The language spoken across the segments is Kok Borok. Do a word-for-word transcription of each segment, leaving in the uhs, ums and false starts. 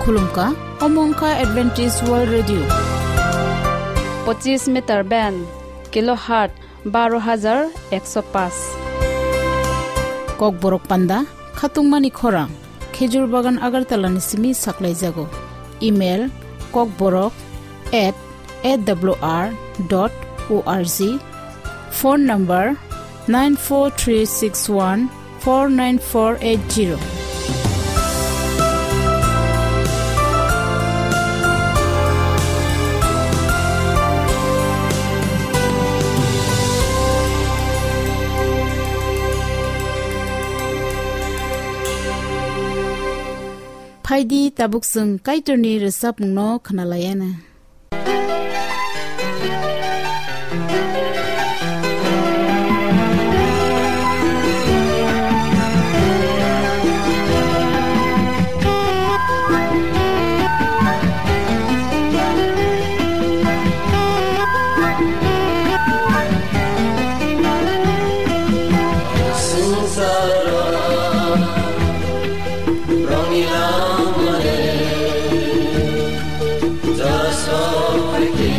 Khulumkha, omo wngkha Adventist World Radio. Pochis meter band, kilohertz baro hajar ekso paanch. Kokborok panda, khatungmani khorang, Khejur Bagan Agartala ni simi saklaijago. Email, kokborok at A W R dot O R G. Phone number, nine four three six one four nine four eight zero. Phaidi, tabuk chwng Kaitorni rwchapmungno khwnalaiana. Rongni langmale, jora sok phaikhe,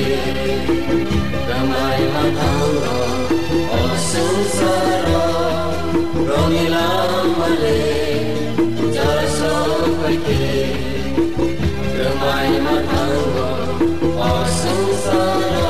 rwmai ma thango, o swngcharo. Rongni langmale, jora sok phaikhe, rwmai ma thango, o swngcharo.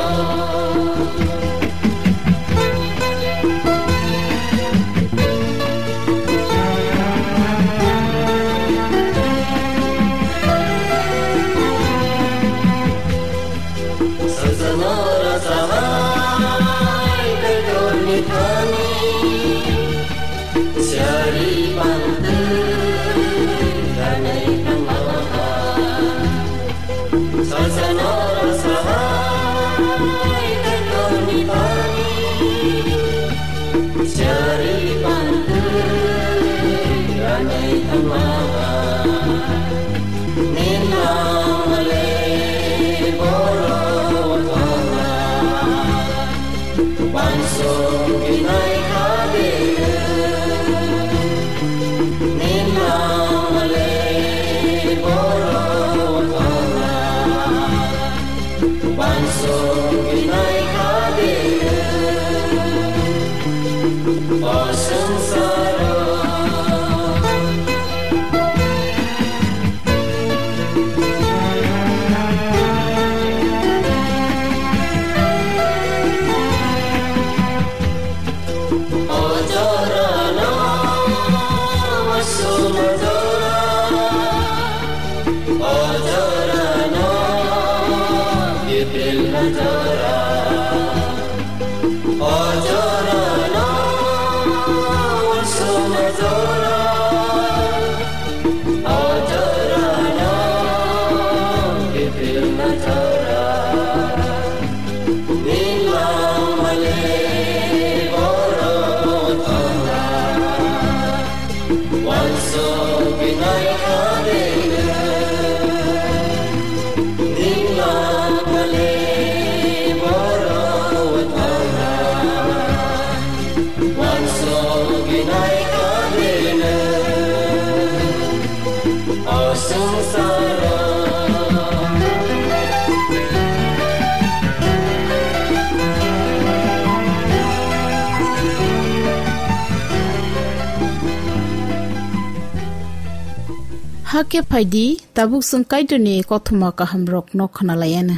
Hakhe phaidi, tabuk chwng Kaitorni kothoma kahamrokno khwnalaiana.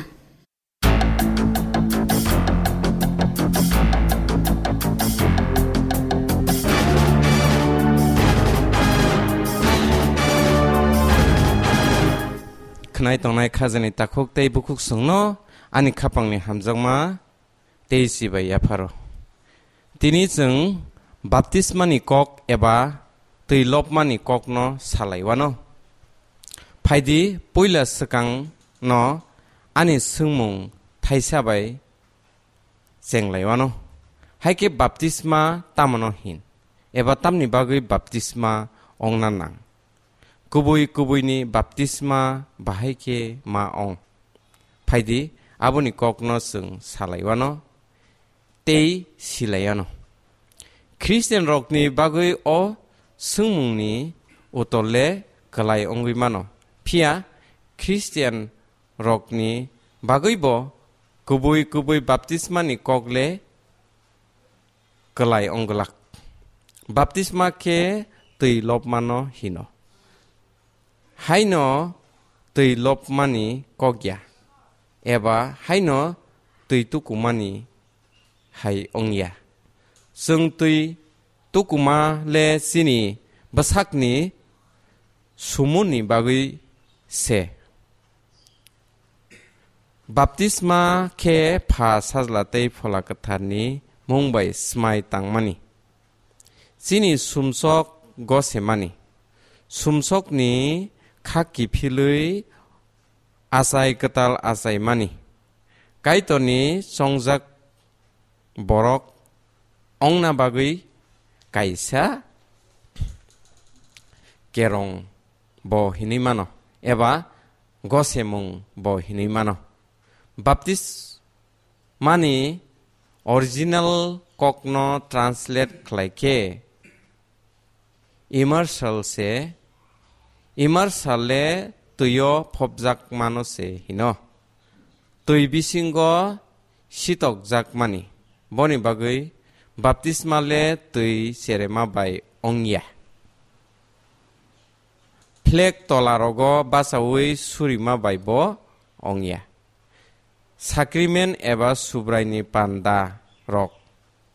Khwnai tongnai khajani takhuk tei bukhuk chwngno ani khapangni hamjakma tei chibai yapharo. Tini chwng baptismani kok eba twi lobmani kokno salaiwano. Phaidi, puila swkangno ani swngmung thaisa bai chenglaiwano. Haikhe baptisma tamono hin? Eba tamni bagwi baptisma ongna nang? Kubui kubuini baptisma bahai khe ma ong? Phaidi, aboni kokno chwng salaiwano tei silaiwano. Khristianrokni bagwi o swngmungni uttor le kwlai wngwi mano. Phiya Christian rokni bagwibo kubui kubui baptismani kok le kwlai ongglak. Baptisma khe twi lobmano hino. Haino twi lobmani kok ya, eba haino twi tukumani hai wng ya. Chwng twi tukuma le chini bwsakni sumuni bagwi se. Baptisma khe Pha, Sajla tei Phola Kwtharni mung bai smai tangmani. Chini sumsok gosemani. Sumsokni kha kiphilwi achai kwtal achaimani. Kaitorni chongjak borok ongna bagwi kaisa kerong bo hinwi mano, eba gosemung bo hinwi mano. Baptismani original kokno translate khlai khe immersal se, immersal le twio phobjak mano se hino. Twi bisingo sitokjakmani. Boni bagwi baptisma le twi cherema bai ongya. Phlek tola rogo bachaui surima bai bo ongya. Sakrimen eba Subraini panda rok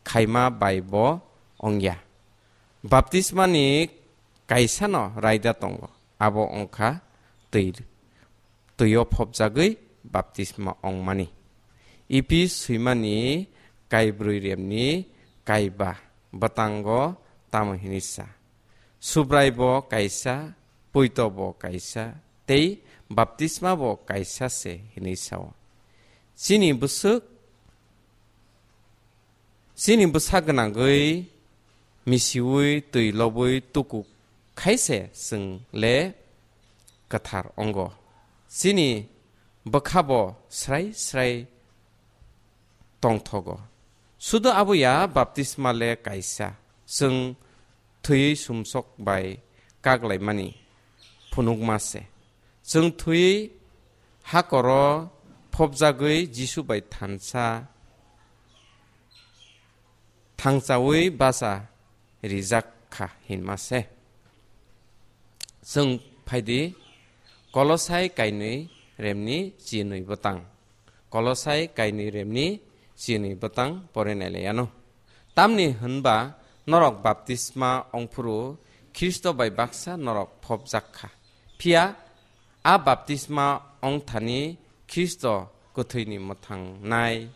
khaima bai bo ongya. Baptismani kaisano raida tongo, abo ongkha twi, twio phobjagwi baptisma ongmani. Ipi swimani kaibrwi remni kaiba bwtango tamo hinwi sa. Subrai bo kaisa, poito bo kaisa, tei baptisma bo kaisa se hinwi sao. Chini bwswk, chini bwsa gwnangwi misiui twi lobwi tuku khai se chwng le kwthar wngo. Chini bwkha bo srai srai tongthogo. Sudo abo ya baptisma le kaisa, chwng thwiwi sumsok bai kak laimani phunukma se. Chwng thwiwi hakoro phobjagwi Jisu bai thansa thangchaui bacha rijak kha hinma se. Chwng phaidi Kolosai kainwi remni chinwi bwtang. Kolosai kainwi remni chinwi bwtang porinai lai ano. Tamni hwnba norok baptisma ongphuru Khristo bai baksa norok phobjak kha. Phiya a baptisma ongthani Khristo kwthwini mwthangnai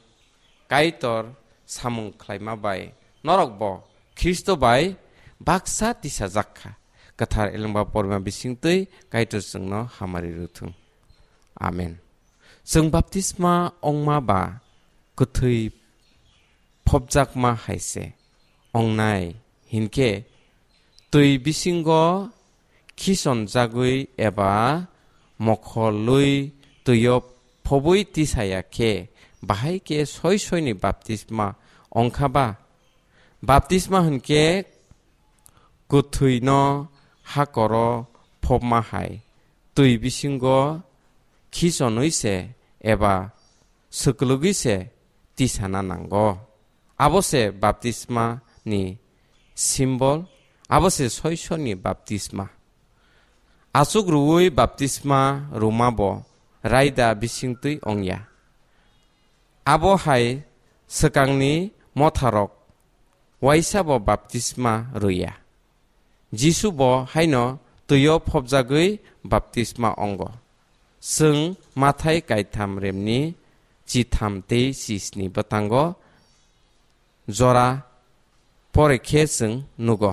Kaitor samung khlaima bai norok bo Khristo bai baksa tisajak kha. Kwthar elengba porma bisingtwi Kaitor chwngno hamari rwthwng. Amen. Chwng baptisma ongma ba kwthwi phobjakma hai se ongnai hinkhe twi bisingo khisonjagwi eba mokholwi twio phobwi tisaya khe bahai khe soi soini baptisma ongkha ba? Baptisma hwnkhe kwthwino hakoro phobma hai twi bisingo khisonwi se eba swklwgwi se tisana nango. Abo se baptisma ni symbol, abo se soisoni baptisma. Achuk rwui baptisma rwma bo raida bisingtwi ongya. Abo hai swkangni motharok waisa bo baptisma rwya. Jisu bo haino twio phobjagwi baptisma ongo. Chwng Mathai kaitham remni chitham tei chisni bwtango jora pore khe chwng nugo.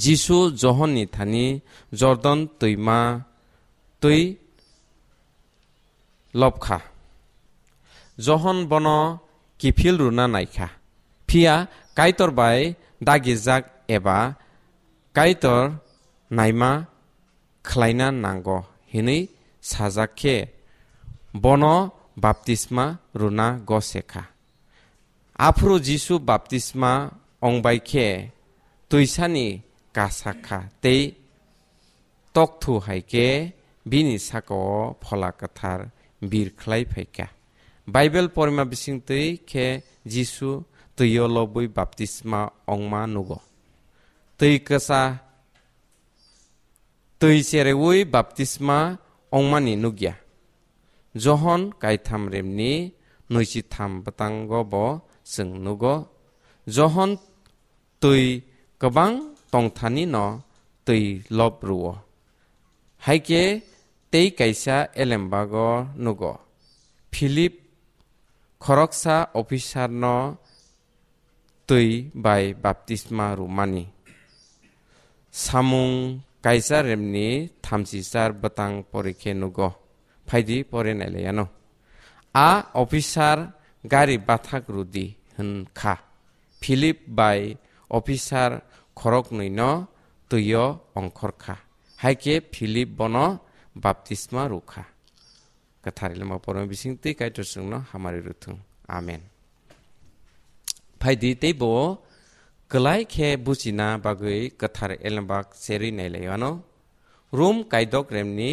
Jisu Johonni thani Jordan twima twi lobkha. Johon bono kiphil rwna naikha. Phiya Kaitor bai dagijak eba Kaitor naima khlaina nango hinwi sajak khe bono baptisma rwna gose kha. Aphuru Jisu baptisma ongbai khe twisani kasa kha tei tokthu hai khe bini saka-o Phola Kwthar bir khlai phai kha. Baibel porima bisingtwi khe Jisu twio lobwi baptisma ongma nugo. Twi kwsa, twi chereui baptisma ongmani nukya. Johon kaitham remni nwichitham bwtango bo chwng nugo. Johon twi kwbang tongthani no twi lob rwo. Haikhe tei kaisa elembago nugo. Philip khoroksa officer no twi bai baptisma rwmani. Samung kaisa remni thamchichar bwtang porikhe nugo. Phaidi pore nailaiano. A officer gari bathak rwdi hwn kha. Philip bai officer khoroknwi no twio ongkhor kha. Haikhe Philip bono baptisma rw kha. Kwthar Elembak porma bisingtwi Kaitor chwngno hamari rwthwng. Amen. Phaidi teibo kwlai khe buchina bagwi Kwthar Elembak cherwi nailaiano. Rum kaidok remni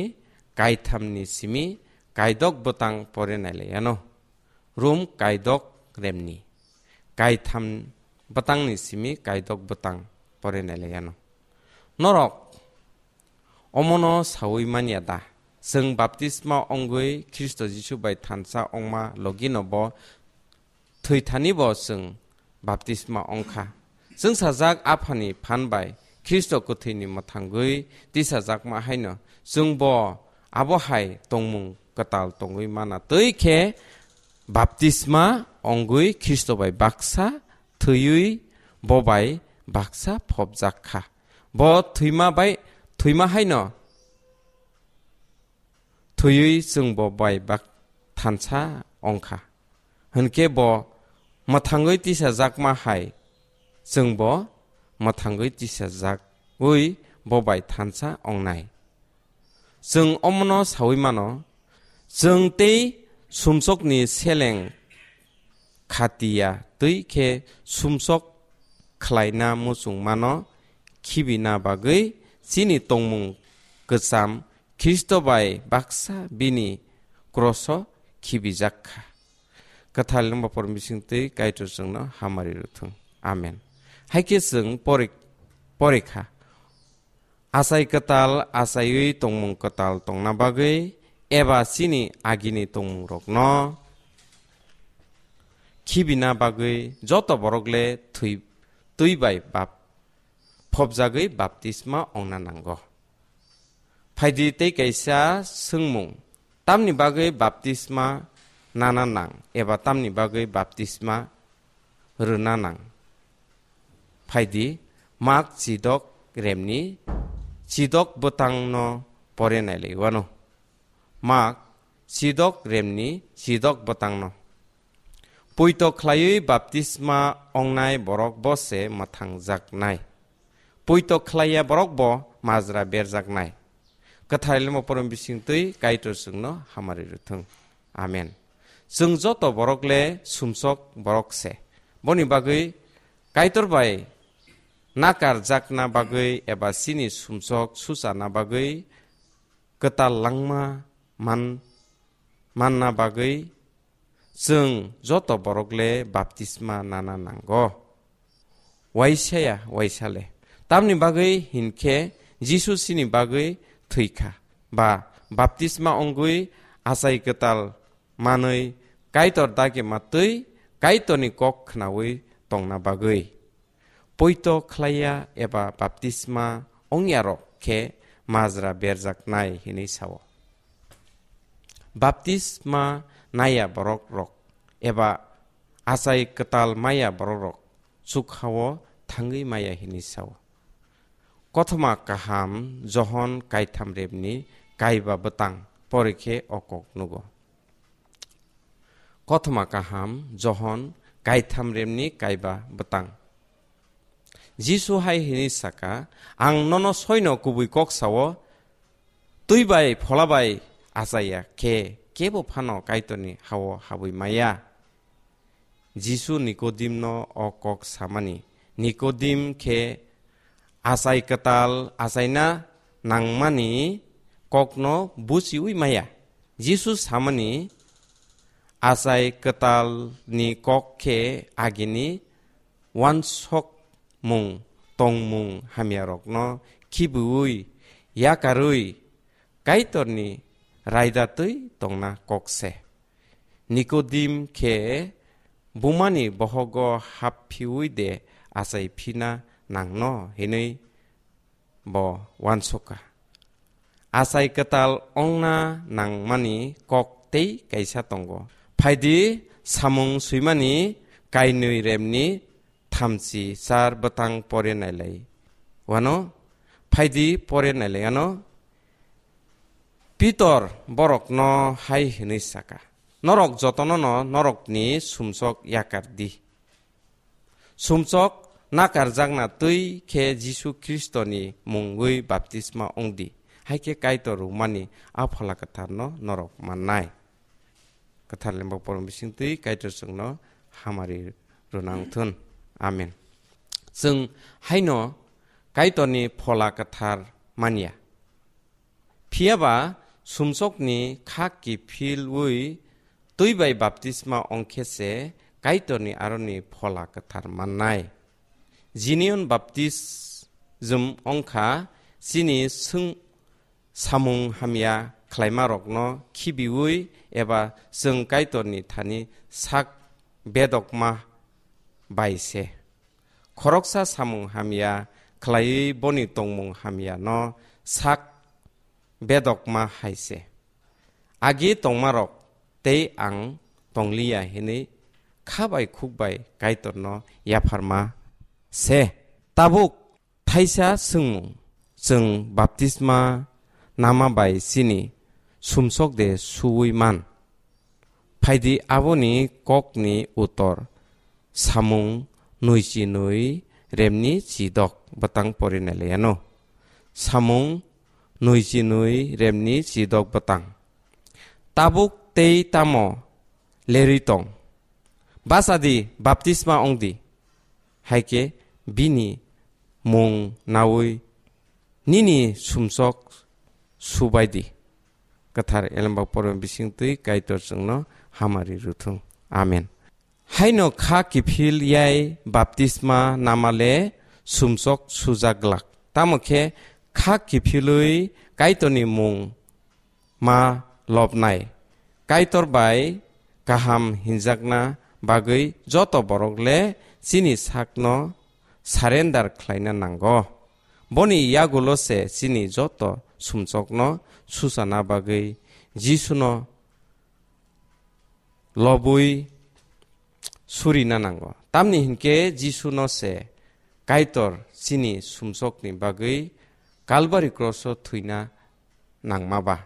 kaithamni simi kaidok bwtang pore nailaiano. Rum kaidok remni kaitham bwtangni simi kaidok bwtang pore nailaiano. Norok omono saui manya da? Chwng baptisma ongwi Khristo Jisu bai thansa ongma logino bo thwithani bo chwng baptisma ongkha. Chwngsajak Aphani phan bai Khristo kwthwini mwthangwi tisajakma haino chwngbo abo hai tongmung kwtal tongwi mana twi khe baptisma ongwi Khristo bai baksa thwiwi bo bai baksa phobjak kha. Bo thwima bai, thwima haino thwiwi chwngbo bai bak thansa ongkha. Hwnkhe bo mwthangwi tisajakma hai chwngbo mwthangwi tisajagwi bo bai thansa ongnai. Chwng omono saui mano, chwng tei sumsokni seleng khatiya twi khe sumsok khlaina muchungmano khibina bagwi chini tongmung kwcham Khristo bai baksa bini kroso khibijak kha. Kwthar Elembak porma bisingtwi Kaitor chwngno hamari rwthwng. Amen. Haikhe chwng pori-, porikha. Achai kwtal achaiwi tongmung kwtal tongna bagwi eba chini agini tongmungrokno khibina bagwi joto borok le thwi-, twi bai bap-, phobjagwi baptisma ongna nango. Phaidi tei kaisa swngmung, tamni bagwi baptisma nana nang eba tamni bagwi baptisma rwna nang? Phaidi Mak chidok remni chidok bwtangno pore nailaiwano. Mak chidok remni chidok bwtangno. Poito khlaiwi baptisma ongnai borok bo se mwthangjaknai. Poito khlaiya borok bo majra berjaknai. Kwthar Elembak porma bisingtwi Kaitor chwngno hamari rwthwng. Amen. Chwng joto borok le sumsok borok se. Boni bagwi Kaitor bai nakarjakna bagwi eba chini sumsok suchana bagwi kwtal langma man-, manna bagwi chwng joto borok le baptisma nana nango. Waisa ya, waisa le. Tamni bagwi hinkhe Jisu chini bagwi thwikha, ba baptisma ongwi achai kwtal manwi Kaitor dagi matwi Kaitorni kok khnaui tongna bagwi. Poito khlaiya eba baptisma ongyarok khe majra berjaknai hinwi sao. Baptisma naiya borok rok eba achai kwtal maya borok rok chukhao thangwi maya hinwi sao. Kothoma kaham Johon kaitham rebni kaiba bwtang porikhe o kok nugo. Kothoma kaham Johon kaitham rebni kaiba bwtang. Jisu hai hini saka, "Ang nono soino kubui kok sao, twi bai phola bai achaiya khe kebo phano Kaitorni hao habwi maya." Jisu Nikodimno o kok samani. Nikodim khe achai kwtal achaina nangmani kokno buchiui maya. Jisu samani achai kwtalni kok khe agini wansokmung tongmung hamyarokno khibiui yakarwi Kaitorni raida twi tongna kok se. Nikodim khe bumani bohogo hap phiui de achai phina nangno hinui bo wansokha. Achai kwtal ongna nangmani kok tei kaisa tongo. Phaidi samung swimani kainwi remni thamchi char bwtang pore nailai. Wano phaidi pore nailai ano. Pitor borokno hai hwnwi saka, "Norok jotonono norokni sumsok yakar di. Sumsok nakarjakna twi khe Jisu Khristoni mungwi baptisma wng di, hai khe Kaitor rwmani a Phola Kwtharno norok mannai." Kwthar Lembo Porom bising twi Kaitor chwngno hamari rwna wng thun. Amen. Chwng haino Kaitorni Phola Kwthar manya. Phiya ba sumsokni kha kiphilwi twi bai baptisma ong khe se Kaitorni aroni Phola Kwthar mannai. Jinion baptism ong kha chini swng samung hamya khlaimarokno khibiui eba chwng Kaitorni thani sak bedokma bai se. Khoroksa samung hamya khlaiwi boni tongmung hamyano sak bedokma hai se. Agi tongmarok tei ang tongliya hinwi kha bai khuk bai Kaitorno yapharma se. Tabuk thaisa swngmung, chwng baptisma nama bai chini sumsok de suui man? Phaidi aboni kokni utor samung nui chi nui remni chidok bwtang pori nailaiano. Samung nui chi nui remni chidok bwtang. Tabuk tei tamo lerwi tong? Bachadi, baptisma ong di. Hai khe bini mung naui nini sumsok subai di. Kwthar Elembak Porma bising twi Kaitor chwngno hamari rwthung. Amen. Haino kha kiphil yai baptisma namale sumsok sujak glak. Tamo khe kha kiphilwi Kaitorni mung ma lobnai. Kaitor bai kaham hinjakna bagwi joto borok le chini sakno surrender khlaina nango. Boni yagulo se chini joto sumsokno suchana bagwi Jisuno lobwi surina nango. Tamni hinkhe Jisuno se Kaitor chini sumsokni bagwi Kalbari kroso thwina nangma ba.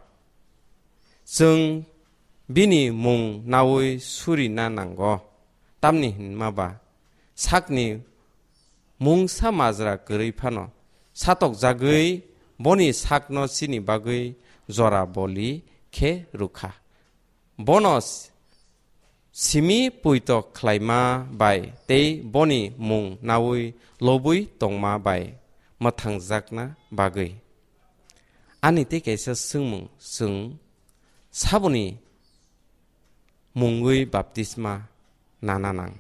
Chwng bini mung naui surina nango. Tamni hinma ba sakni mungsa majra kwrwi phano satokjagwi boni sakno chini bagwi jora boli khe rwkha. Bono simi puito khlaima bai tei boni mung naui lobwi tongma bai mwthangjakna bagwi. Ani tei kaisa swngmung, chwng saboni mungwi baptisma nana nang?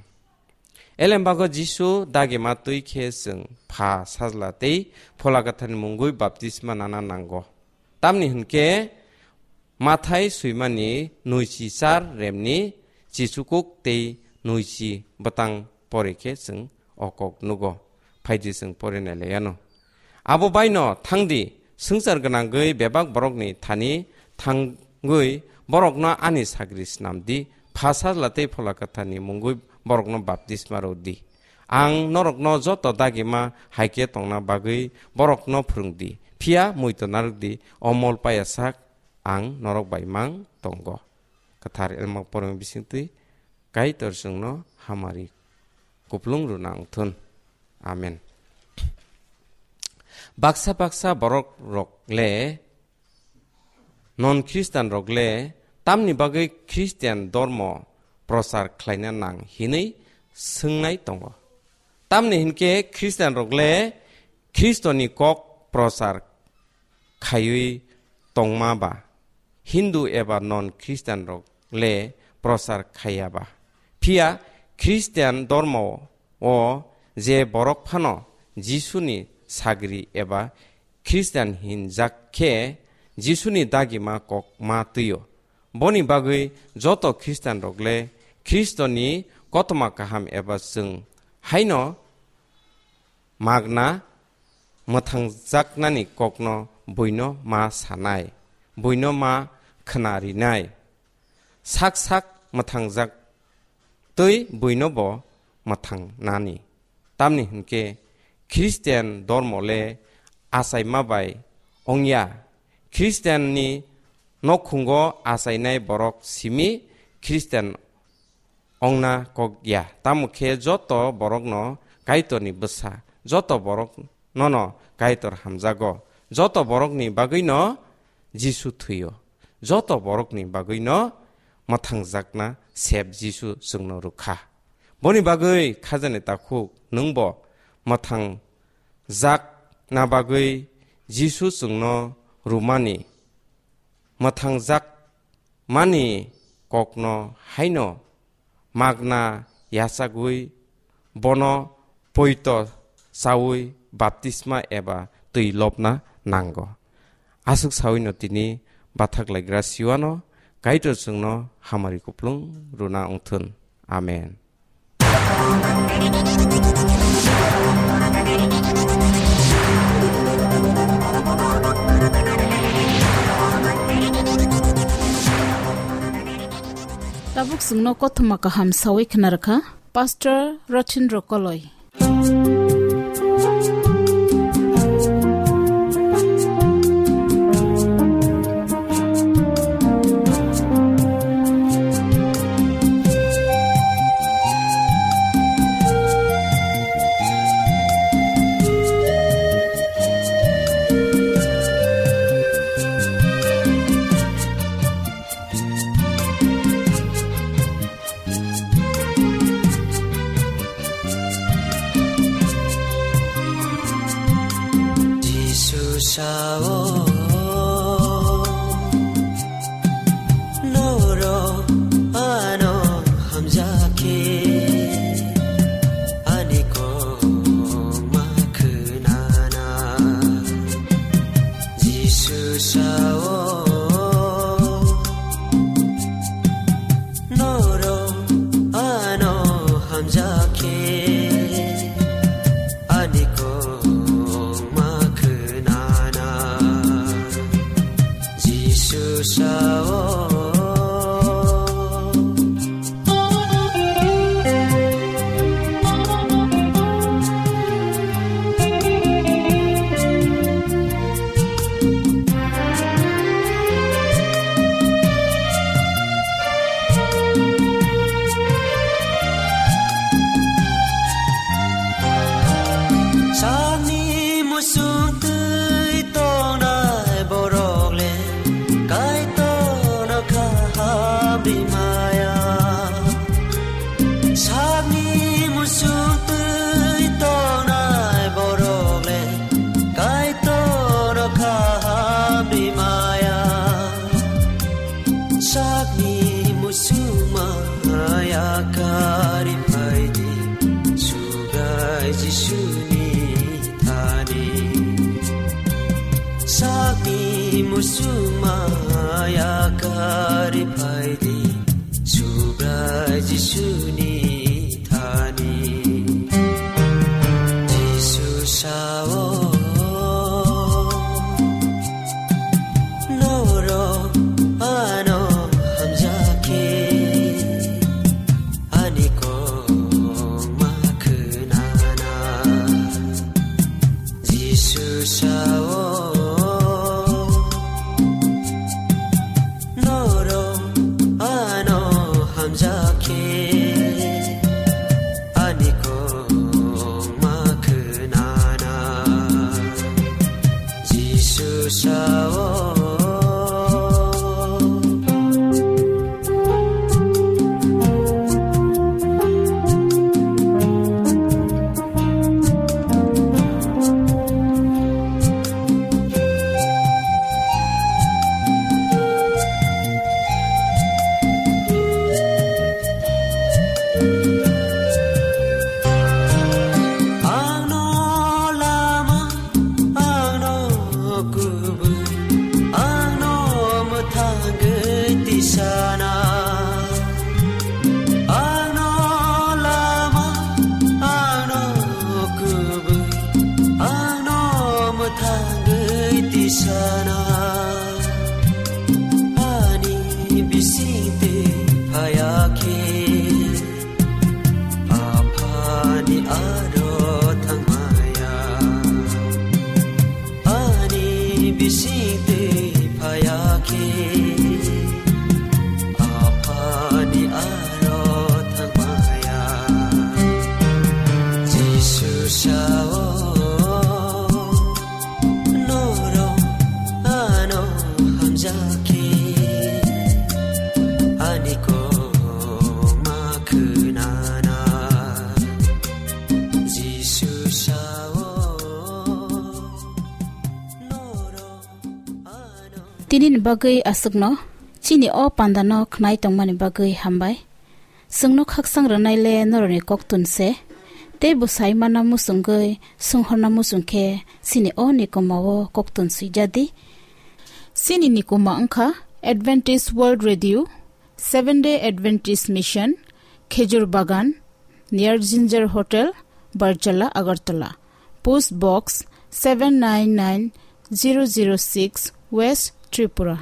Elembago Jisu dagima twi khe chwng Pha, Sajla tei Phola Kwtharni mungwi baptisma nana nango. Tamni hwnkhe Mathai swimani nuichi char remni chichukuk tei nuichi bwtang pore khe chwng o kok nugo. Phaidi chwng pore nailaiano. Abo baino thangdi, swngchar gwnangwi bebak borokni thani thangwi borokno ani sagri snamdi, Pha, Sajla tei Phola Kwtharni mungwi borokno baptisma rwdi. Ang norokno joto dagima hai khe tongna bagwi borokno phwrwngdi, phiya muitu narwkdi, o mol paya sak ang norok bai mang tongo. Kwthar Elma Porma bisingtwi Kaitor chwngno hamari kuplung rwna wngthun. Amen. Baksa baksa borok rok le, non Khristan rok le, tamni bagwi Khristian dormo prochar khlaina nang hinwi swngnai tongo. Tamni hinkhe Khristian rok le Khristoni kok prochar khaiwi tongma ba, Hindu eba non Christian rok le prochar khaiya ba. Phiya Christian dormo o je borok phano Jisuni sagri eba Christian hinjak khe Jisuni dagima kok ma twiyo. Boni bagwi joto Christian rok le Khristoni kothoma kaham eba chwng haino magna mwthangjaknani kokno buino ma sanai, buino ma khna rinai. Sak sak mwthangjak twi buino bo mwthangnani. Tamni hwnkhe Christian dormo le achaima bai wngya. Christian ni nokhungo achainai borok simi Christian ongna kok ya. Tamo khe joto borokno Kaitorni bwsa, joto borok nono Kaitor hamjago. Joto borokni bagwino Jisu thwiyo. Joto borokni bagwino mwthangjakna sep Jisu chwngno rwkha. Boni bagwi khajani takhuk nwngbo mwthangjakna bagwi Jisu chwngno rwmani, mwthangjak mani kokno haino magna yachagwi bono poito chawi baptisma eba twi lobna nango. Aswk sawino tini bathak laigra siwano Kaitor chwngno hamari kuplung rwna wngthun. Amen. Tabuk chwngno kothoma kaham sawi khna rwkha Pastor Rothin Rokoloi. Jisu sao, norok ano hamjakhe, ani kok ma khwnana. Jisu sao, norok ano hamjakhe, ani kok ma khwnana. Jisu sao. Sakni musung twi tongnai borok le Kaitorno kaham rimaya. Sakni musuk twi tongnai borok le Kaitorno kaham rimaya. Sakni musuk maya kari phaidi, Subrai Jisuni thani. Sakni musuk maya kari phaidi, Subrai Jisuni thani. Jisu sao, norok ano hamjakhe, ani kok ma khwnana. Jisu sao, norok ano hamjakhe, Jaki ani kok ma khwnana Jisu sao norok ano. Tini ni bagwi aswkno chini o panda no khnai tongmani bagwi hambai. Chwngno khaksang rwnai le norokni koktun se, tei bwsai mana muchungwi swnghorna muchung khe chini o nikoma o koktun swijadi. Chini nikoma wngkha Adventist World Radio, Seventh Day Adventist Mission, Khejur Bagan, near Ginger Hotel, Barjala, Agartala. Post Box seven nine nine zero zero six, West Tripura.